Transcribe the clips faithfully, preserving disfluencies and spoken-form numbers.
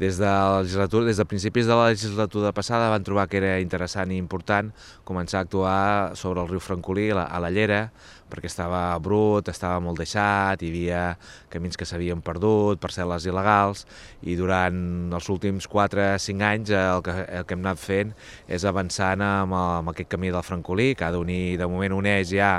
Des de la legislatura, des de principis de la legislatura passada van trobar que era interessant i important començar a actuar sobre el riu Francolí a la, a la Llera, perquè estava brut, estava molt deixat, hi havia camins que s'havien perdut, parcel·les il·legals, i durant els últims quatre o cinc anys el que, el que hem anat fent és avançant amb, el, amb aquest camí del Francolí, que ha d'unir, de moment uneix ja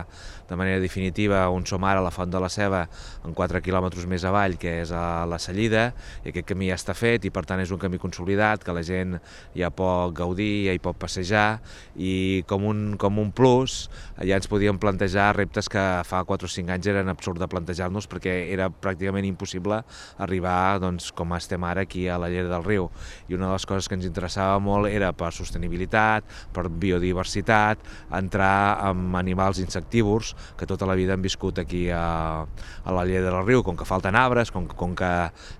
de manera definitiva on som ara, la Font de la Ceba, en quatre quilòmetres més avall, que és a la Cellida, i aquest camí ja està fet i per tant és un camí consolidat que la gent ja pot gaudir, ja hi pot passejar, i com un, com un plus ja ens podíem plantejar reptes que fa quatre o cinc anys eren absurd de plantejar-nos perquè era pràcticament impossible arribar doncs, com estem ara aquí a la Llera del Riu. I una de les coses que ens interessava molt era per sostenibilitat, per biodiversitat, entrar amb animals insectívors que tota la vida han viscut aquí a, a la Llera del Riu. Com que falten arbres, com, com que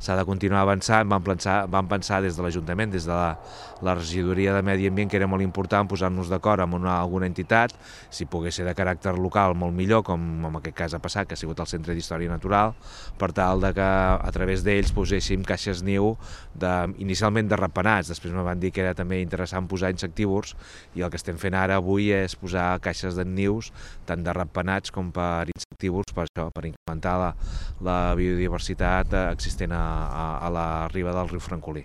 s'ha de continuar avançant, vam pensar, vam pensar des de l'Ajuntament, des de la, la regidoria de Medi Ambient, que era molt important posar-nos d'acord amb una, alguna entitat, si pogués ser de caràcter local molt millor, com en aquest cas ha passat, que ha sigut el Centre d'Història Natural, per tal de que a través d'ells poséssim caixes niu de, inicialment de ratpenats, després me van dir que era també interessant posar insectívors, i el que estem fent ara avui és posar caixes de nius tant de ratpenats com per insectívors, per això, per incrementar la, la biodiversitat existent a, a, a la riba del riu Francolí.